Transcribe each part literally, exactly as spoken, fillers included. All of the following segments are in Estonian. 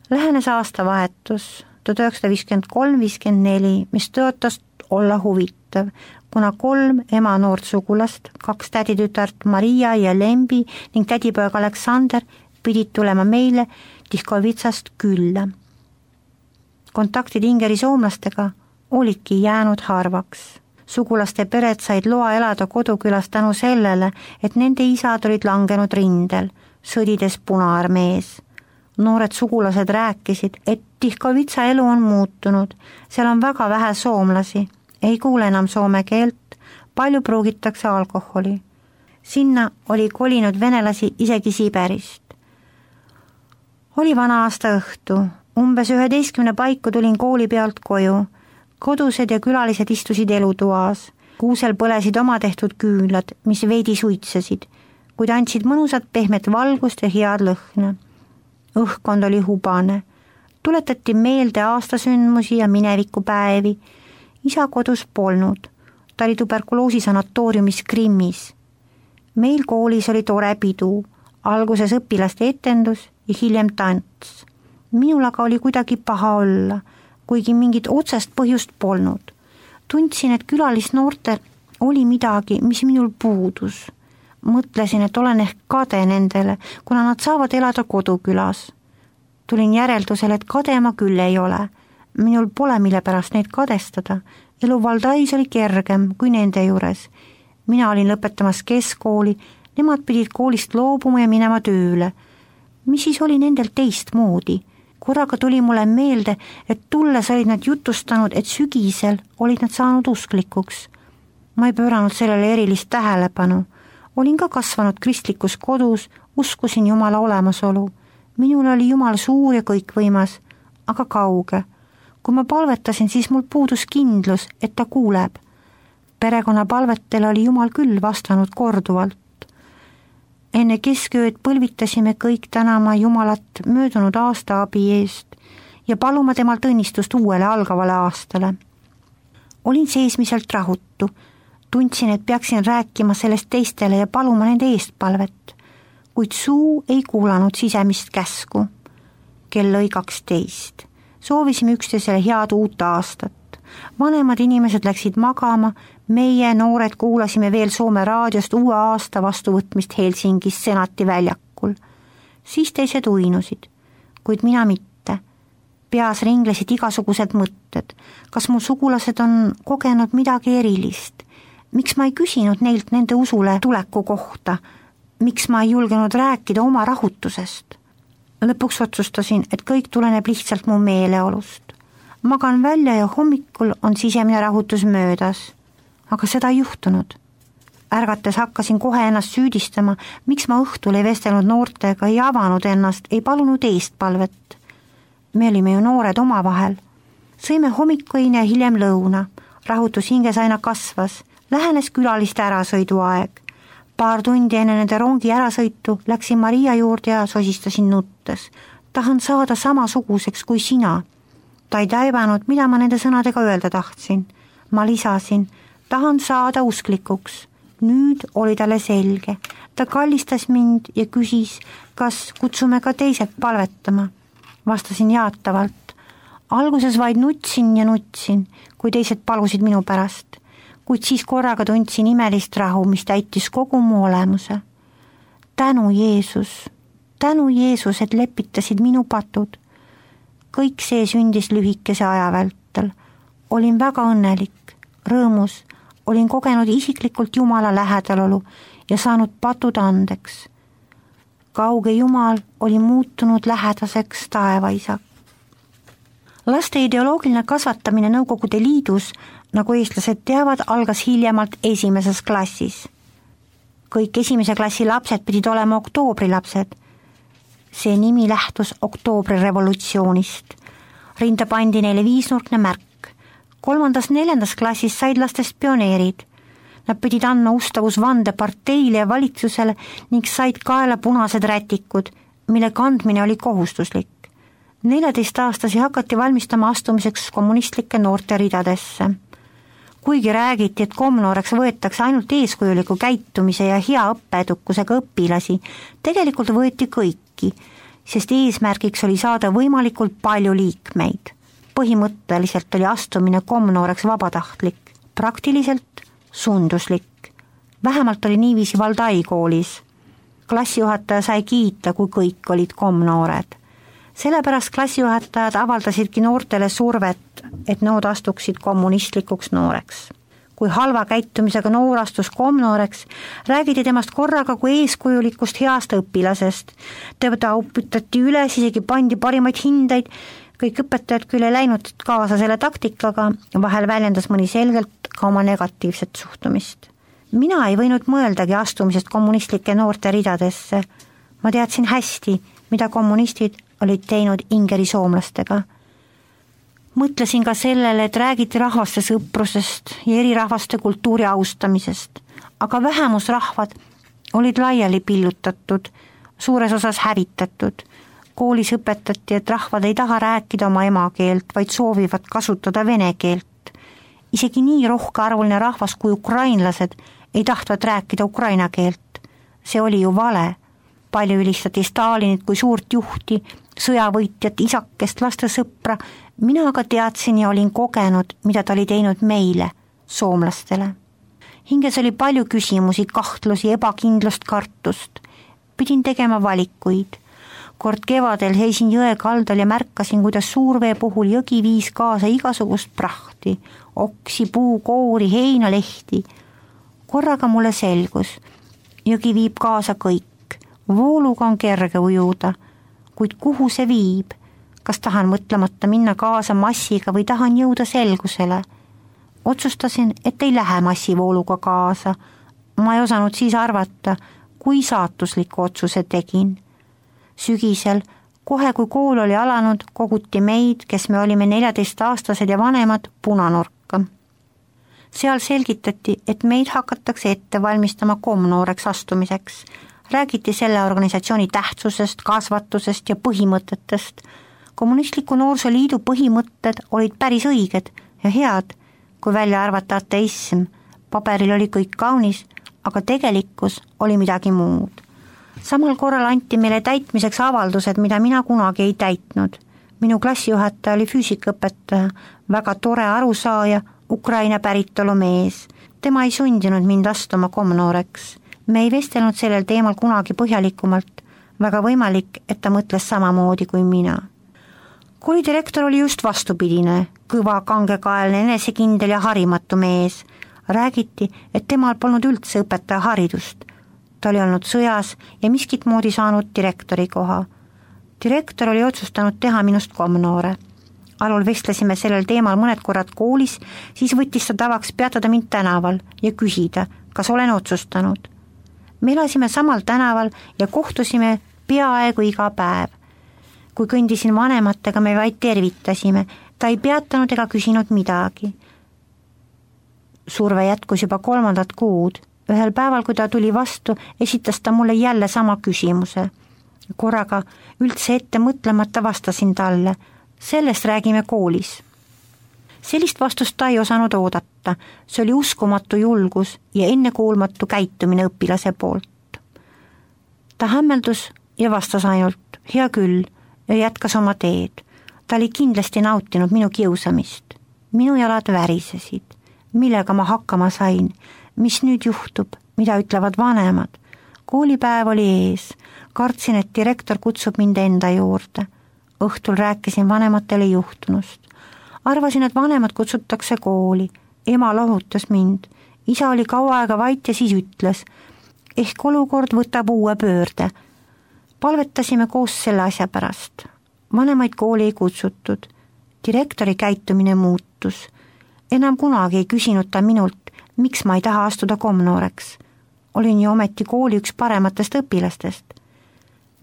Lähenes aastavahetus tuhat üheksasada viiskümmend kolm viiskümmend neli, mis tõotas olla huvitav, kuna kolm ema noort sugulast, kaks täditütart Maria ja Lembi ning tädipoeg Aleksander pidid tulema meile Tihkovitsast külla. Kontaktid Ingeri soomlastega olidki jäänud harvaks. Sugulaste pered said loa elada kodukülas tänu sellele, et nende isad olid langenud rindel, sõdides Punaarmees. Noored sugulased rääkisid, et Tihkovitsa elu on muutunud, seal on väga vähe soomlasi, ei kuule enam soome keelt, palju pruugitakse alkoholi. Sinna oli kolinud venelasi isegi Siberist. Oli vana aasta õhtu, umbes üheteistkümne paiku tulin kooli pealt koju. Kodused ja külalised istusid elutoas. Kuusel põlesid oma tehtud küünlad, mis veidi suitsesid, kuid andsid mõnusat pehmet valgust ja head lõhna. Õhkkond oli hubane. Tuletati meelde aastasündmusi ja minevikupäevi. Isa kodus polnud. Ta oli tuberkuloosi sanatooriumis Krimmis. Meil koolis oli tore pidu. Alguses õpilaste etendus ja hiljem tants. Minul aga oli kuidagi paha olla, kuigi mingit otsest põhjust polnud. Tundsin, et külalisnoortel oli midagi, mis minul puudus. Mõtlesin, et olen ehk kade nendele, kuna nad saavad elada kodukülas. Tulin järeldusele, et kade ma küll ei ole. Minul pole mille pärast neid kadestada. Elu Valdais oli kergem kui nende juures. Mina olin lõpetamas keskkooli, nemad pidid koolist loobuma ja minema tööle. Mis siis oli nendel teistmoodi? Korraga tuli mulle meelde, et tulles olid nad jutustanud, et sügisel olid nad saanud usklikuks. Ma ei pööranud sellele erilist tähelepanu. Olin ka kasvanud kristlikus kodus, uskusin Jumala olemasolu. Minul oli Jumal suur ja kõikvõimas, aga kauge. Kui ma palvetasin, siis mul puudus kindlus, et ta kuuleb. Perekonna palvetele oli Jumal küll vastanud korduvalt. Enne keskööd põlvitasime kõik tänama Jumalat möödunud aasta abi eest ja paluma temalt õnnistust uuele algavale aastale. Olin seesmiselt rahutu. Tundsin, et peaksin rääkima sellest teistele ja paluma nende eest palvet, kuid suu ei kuulanud sisemist käsku. Kell lõi kaksteist. Soovisime üksteisele head uut aastat. Vanemad inimesed läksid magama, meie noored kuulasime veel Soome raadiost uue aasta vastuvõtmist Helsingis Senati väljakul. Siis teised uinusid, kuid mina mitte. Peas ringlesid igasugused mõtted. Kas mu sugulased on kogenud midagi erilist? Miks ma ei küsinud neilt nende usule tuleku kohta? Miks ma ei julgenud rääkida oma rahutusest? Lõpuks otsustasin, et kõik tuleneb lihtsalt mu meeleolust. Magan välja ja hommikul on sisemine rahutus möödas, aga seda ei juhtunud. Ärgates hakkasin kohe ennast süüdistama, miks ma õhtul ei vestelnud noortega, ei avanud ennast, ei palunud eestpalvet. Me olime ju noored omavahel. Sõime hommikuine ja hiljem lõuna. Rahutus hinges aina kasvas. Lähenes külaliste ärasõidu aeg. Paar tundi enne nende rongi ärasõitu läksin Maria juurde ja sosistasin nuttes. Tahan saada samasuguseks kui sina. Ta ei taibanud, mida ma nende sõnadega öelda tahtsin. Ma lisasin, tahan saada usklikuks. Nüüd oli talle selge. Ta kallistas mind ja küsis, kas kutsume ka teised palvetama. Vastasin jaatavalt. Alguses vaid nutsin ja nutsin, kui teised palusid minu pärast. Kuid siis korraga tundsin imelist rahu, mis täitis kogu mu olemuse. Tänu Jeesus, tänu Jeesus, et lepitasid minu patud. Kõik see sündis lühikese aja vältel. Olin väga õnnelik, rõõmus, olin kogenud isiklikult Jumala lähedalolu ja saanud patud andeks. Kauge Jumal oli muutunud lähedaseks taevaisa. Laste ideoloogiline kasvatamine Nõukogude Liidus, nagu eestlased teavad, algas hiljemalt esimeses klassis. Kõik esimese klassi lapsed pidid olema oktoobrilapsed. See nimi lähtus oktoobrirevolutsioonist. Rinda pandi neile viisnurkne märk. Kolmandas neljandas klassis said lastest pioneerid. Nad pidid andma ustavusvande parteile ja valitsusele ning said kaela punased rätikud, mille kandmine oli kohustuslik. Neljateistaastasi hakati valmistama astumiseks kommunistlike noorte ridadesse. Kuigi räägiti, et komnooreks võetakse ainult eeskujuliku käitumise ja hea õppeedukusega õpilasi, tegelikult võeti kõiki. sest eesmärgiks oli saada võimalikult palju liikmeid. Põhimõtteliselt oli astumine komnooreks vabatahtlik, praktiliselt sunduslik. Vähemalt oli niiviisi Valdai koolis. Klassijuhataja sai kiita, kui kõik olid komnoored. Sellepärast klassijuhatajad avaldasidki noortele survet, et nood astuksid kommunistlikuks nooreks. Kui halva käitumisega noor astus komnooreks, räägiti temast korraga kui eeskujulikust heast õpilasest. Teda uputati üles, isegi pandi parimaid hindeid, kõik õpetajad küll ei läinud kaasa selle taktikaga, vahel väljendas mõni selgelt ka oma negatiivset suhtumist. Mina ei võinud mõeldagi astumisest kommunistlike noorte ridadesse. Ma teadsin hästi, mida kommunistid olid teinud ingeri soomlastega. Mõtlesin ka sellele, et räägiti rahvaste sõprusest ja eri rahvaste kultuuri austamisest, aga vähemusrahvad olid laiali pillutatud, suures osas hävitatud. Koolis õpetati, et rahvad ei taha rääkida oma emakeelt, vaid soovivad kasutada vene keelt. Isegi nii rohkearvuline rahvas kui ukrainlased ei tahtvad rääkida ukraina keelt. See oli ju vale. Palju ülistati Stalinit kui suurt juhti, sõjavõitjat, isakest, laste sõpra. Mina aga teadsin ja olin kogenud, mida ta oli teinud meile, soomlastele. Hinges oli palju küsimusi, kahtlusi, ebakindlust, kartust. Pidin tegema valikuid. Kord kevadel seisin jõe kaldal ja märkasin, kuidas suurvee puhul jõgi viis kaasa igasugust prahti, oksi, puu, koori, heinalehti. Korraga mulle selgus, jõgi viib kaasa kõik. Vooluga on kerge ujuda, kuid kuhu see viib? Kas tahan mõtlemata minna kaasa massiga või tahan jõuda selgusele? Otsustasin, et ei lähe massivooluga kaasa. Ma ei osanud siis arvata, kui saatusliku otsuse tegin. Sügisel, kohe kui kool oli alanud, koguti meid, kes me olime neljateistaastased ja vanemad, punanurka. Seal selgitati, et meid hakatakse ette valmistama komnooreks astumiseks. Räägiti selle organisatsiooni tähtsusest, kasvatusest ja põhimõtetest. Kommunistliku noorsoliidu põhimõtted olid päris õiged ja head, kui välja arvata ateism. Paberil oli kõik kaunis, aga tegelikkus oli midagi muud. Samal korral anti meile täitmiseks avaldused, mida mina kunagi ei täitnud. Minu klassijuhataja oli füüsikaõpetaja, väga tore arusaaja, Ukraina päritolu mees. Tema ei sundinud mind astuma komnooreks. Me ei vestelnud sellel teemal kunagi põhjalikumalt, väga võimalik, et ta mõtles samamoodi kui mina. Koolidirektor oli just vastupidine, kõva, kangekaelne, enesekindel ja harimatu mees. Räägiti, et temal polnud üldse õpetaja haridust. Ta oli olnud sõjas ja miskit moodi saanud direktori koha. Direktor oli otsustanud teha minust komnoore. Alul vestlesime sellel teemal mõned korrad koolis, siis võttis ta tavaks peatada mind tänaval ja küsida, kas olen otsustanud. Me elasime samal tänaval ja kohtusime peaaegu iga päev. Kui kõndisin vanematega, me vaid tervitasime. Ta ei peatanud ega küsinud midagi. Surve jätkus juba kolmandat kuud. Ühel päeval, kui ta tuli vastu, esitas ta mulle jälle sama küsimuse. Korraga üldse ette mõtlemata vastasin talle. Sellest räägime koolis. Sellist vastust ta ei osanud oodata. See oli uskumatu julgus ja ennekuulmatu käitumine õpilase poolt. Ta hämmeldus ja vastas ainult, hea küll, ja jätkas oma teed. Ta oli kindlasti nautinud minu kiusamist. Minu jalad värisesid. Millega ma hakkama sain? Mis nüüd juhtub? Mida ütlevad vanemad? Koolipäev oli ees. Kartsin, et direktor kutsub mind enda juurde. Õhtul rääkisin vanematele juhtunust. Arvasin, et vanemad kutsutakse kooli. Ema lohutas mind. Isa oli kaua aega vait ja siis ütles, ehk olukord võtab uue pöörde. Palvetasime koos selle asja pärast. Vanemaid kooli ei kutsutud. Direktori käitumine muutus. Enam kunagi ei küsinud ta minult, miks ma ei taha astuda komnooreks. Olin ju ometi kooli üks parematest õpilastest.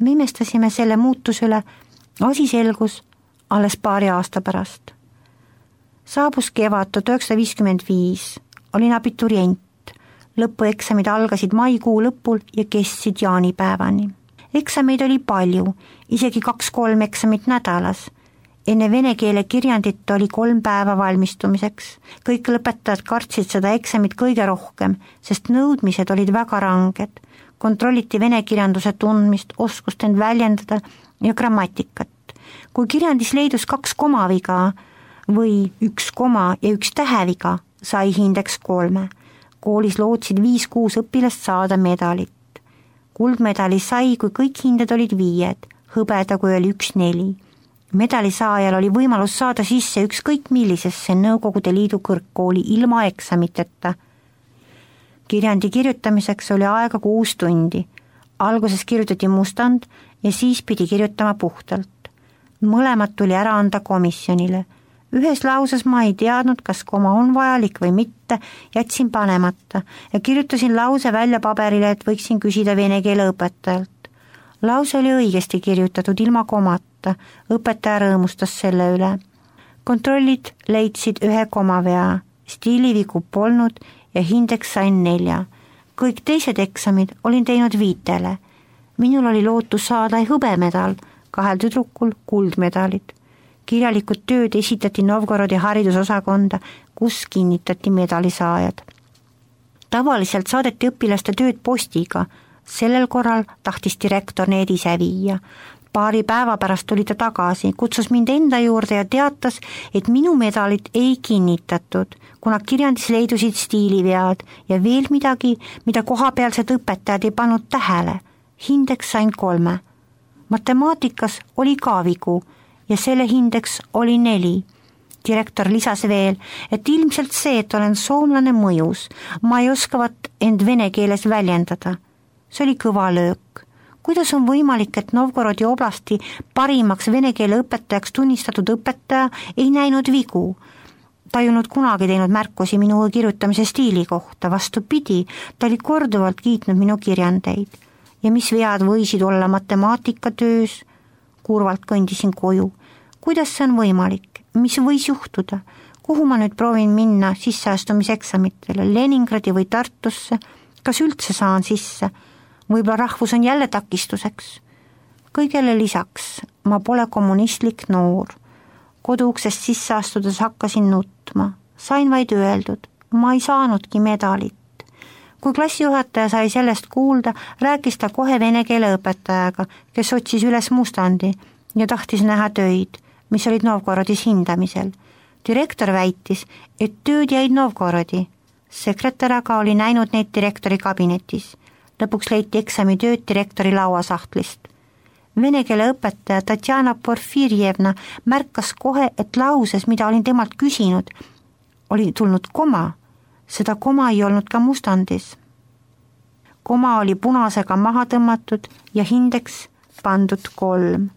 Me imestasime selle muutus üle, asi selgus alles paari aasta pärast. Saabus kevad tuhat üheksasada viiskümmend viis, olin abiturient. Lõpueksamid algasid maikuu lõpul ja kestsid jaanipäevani. Eksameid oli palju, isegi kaks-kolm eksamit nädalas. Enne vene keele kirjandit oli kolm päeva valmistumiseks. Kõik lõpetajad kartsid seda eksamit kõige rohkem, sest nõudmised olid väga ranged. Kontrolliti vene kirjanduse tundmist, oskust end väljendada ja grammatikat. Kui kirjandis leidus kaks komaviga või üks koma ja üks täheviga, sai hindeks kolme. Koolis lootsid viis-kuus õpilast saada medalit. Kuldmedali sai, kui kõik hinded olid viied, hõbeda, kui oli üks neli. Medali saajal oli võimalus saada sisse ükskõik millisesse Nõukogude Liidu kõrgkooli ilma eksamiteta. Kirjandi kirjutamiseks oli aega kuus tundi. Alguses kirjutati mustand ja siis pidi kirjutama puhtalt. Mõlemad tuli ära anda komisjonile. Ühes lauses ma ei teadnud, kas koma on vajalik või mitte, jätsin panemata ja kirjutasin lause välja paberile, et võiksin küsida vene keele õpetajalt. Lause oli õigesti kirjutatud ilma komata, õpetaja rõõmustas selle üle. Kontrollid leidsid ühe komavea, stiilivigu polnud ja hindeks sain nelja. Kõik teised eksamid olin teinud viitele. Minul oli lootus saada hõbemedal, kahel tüdrukul kuldmedalid. Kirjalikud tööd esitati Novgorodi haridusosakonda, kus kinnitati medalisaajad. Tavaliselt saadeti õpilaste tööd postiga, sellel korral tahtis direktor need ise viia. Paari päeva pärast tuli ta tagasi, kutsus mind enda juurde ja teatas, et minu medalit ei kinnitatud, kuna kirjandis leidusid stiilivead ja veel midagi, mida kohapealsed õpetajad ei pannud tähele. Hindeks sain kolme. Matemaatikas oli ka vigu ja selle hindeks oli neli. Direktor lisas veel, et ilmselt see, et olen soomlane mõjus, ma ei oskavat end vene keeles väljendada. See oli kõva löök. Kuidas on võimalik, et Novgorodi oblasti parimaks vene keele õpetajaks tunnistatud õpetaja ei näinud vigu? Ta ei olnud kunagi teinud märkusi minu kirjutamise stiili kohta, vastupidi, ta oli korduvalt kiitnud minu kirjandeid. Ja mis vead võisid olla matemaatikatöös? Kurvalt kõndisin koju. Kuidas see on võimalik? Mis võis juhtuda? Kuhu ma nüüd proovin minna sisseastumiseksamitele? Leningradi või Tartusse? Kas üldse saan sisse? Võib-olla rahvus on jälle takistuseks. Kõigele lisaks, ma pole kommunistlik noor. Koduuksest sisse astudes hakkasin nutma. Sain vaid öeldud, ma ei saanudki medalit. Kui klassijuhataja sai sellest kuulda, rääkis ta kohe vene keele õpetajaga, kes otsis üles mustandi ja tahtis näha töid, mis olid Novgorodis hindamisel. Direktor väitis, et tööd jäid Novgorodi. Sekretär aga oli näinud neid direktori kabinetis. Lõpuks leiti eksamitööd direktori lauasahtlist. Vene keele õpetaja Tatjana Porfirjevna märkas kohe, et lauses, mida olin temalt küsinud, oli tulnud koma. Seda koma ei olnud ka mustandis. Koma oli punasega maha tõmmatud ja hindeks pandud kolm.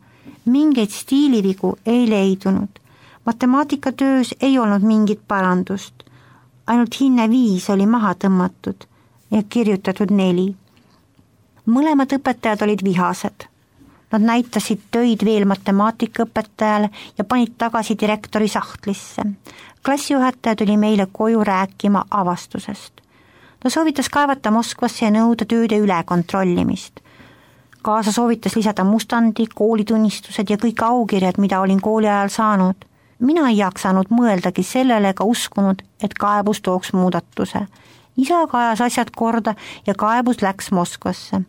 Mingeid stiilivigu ei leidunud. Matemaatikatöös ei olnud mingit parandust. Ainult hinne viis oli maha tõmmatud ja kirjutatud neli. Mõlemad õpetajad olid vihased. Nad näitasid töid veel matemaatikaõpetajale ja panid tagasi direktori sahtlisse. Klassijuhataja tuli meile koju rääkima avastusest. Ta soovitas kaevata Moskvasse ja nõuda tööde üle kontrollimist. Kaasa soovitas lisada mustandi, koolitunnistused ja kõik aukirjad, mida olin kooli ajal saanud. Mina ei jaksanud mõeldagi sellele ega uskunud, et kaebus tooks muudatuse. Isa aga ajas asjad korda ja kaebus läks Moskvasse.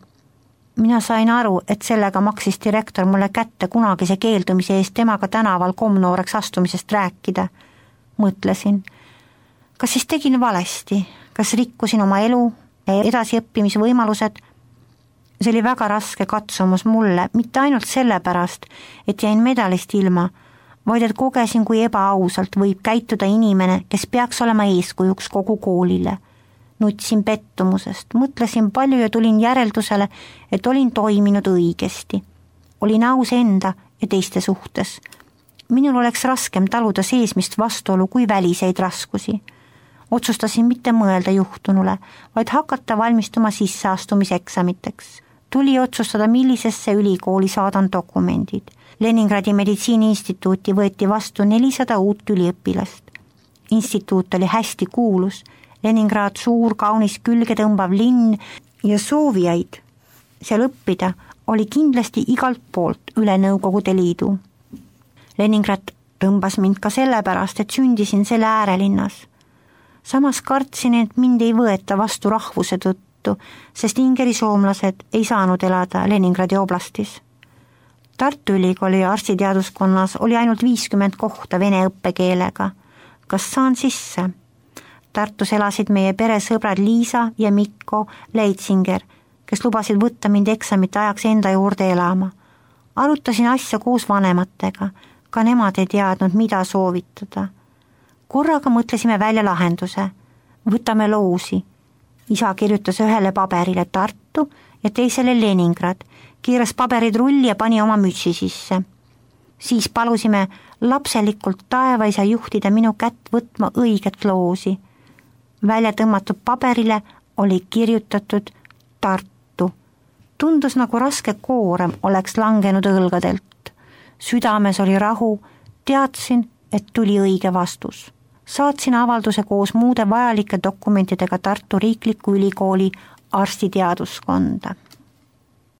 Mina sain aru, et sellega maksis direktor mulle kätte kunagise keeldumise eest temaga tänaval komnooreks astumisest rääkida. Mõtlesin, kas siis tegin valesti, kas rikkusin oma elu ja edasiõppimisvõimalused? See oli väga raske katsumus mulle, mitte ainult sellepärast, et jäin medalist ilma, vaid et kogesin, kui ebaausalt võib käituda inimene, kes peaks olema eeskujuks kogu koolile. Nutsin pettumusest, mõtlesin palju ja tulin järeldusele, et olin toiminud õigesti. Olin aus enda ja teiste suhtes. Minul oleks raskem taluda seesmist vastuolu kui väliseid raskusi. Otsustasin mitte mõelda juhtunule, vaid hakata valmistuma sisseastumiseksamiteks. Tuli otsustada, millisesse ülikooli saadan dokumendid. Leningradi meditsiiniinstituuti võeti vastu nelisada uut üliõpilast. Instituut oli hästi kuulus, Leningrad suur, kaunis külge tõmbav linn ja soovijaid seal õppida oli kindlasti igalt poolt üle Nõukogude Liidu. Leningrad tõmbas mind ka sellepärast, et sündisin selle äärelinnas. Samas kartsin, et mind ei võeta vastu rahvuse tõttu, sest ingeri soomlased ei saanud elada Leningradi oblastis. Tartu Ülikooli arstiteaduskonnas oli ainult viiskümmend kohta vene õppekeelega. Kas saan sisse? Tartus elasid meie peresõbrad Liisa ja Mikko Leitsinger, kes lubasid võtta mind eksamite ajaks enda juurde elama. Arutasin asja koos vanematega, ka nemad ei teadnud, mida soovitada. Korraga mõtlesime välja lahenduse. Võtame loosi. Isa kirjutas ühele paberile Tartu ja teisele Leningrad, kiiras paberid rulli ja pani oma mütsi sisse. Siis palusime lapselikult taevaisa juhtida minu kätt võtma õiget loosi. Välja tõmmatud paberile oli kirjutatud Tartu. Tundus nagu raske koorem oleks langenud õlgadelt. Südames oli rahu, teadsin, et tuli õige vastus. Saatsin avalduse koos muude vajalike dokumentidega Tartu Riikliku Ülikooli arstiteaduskonda.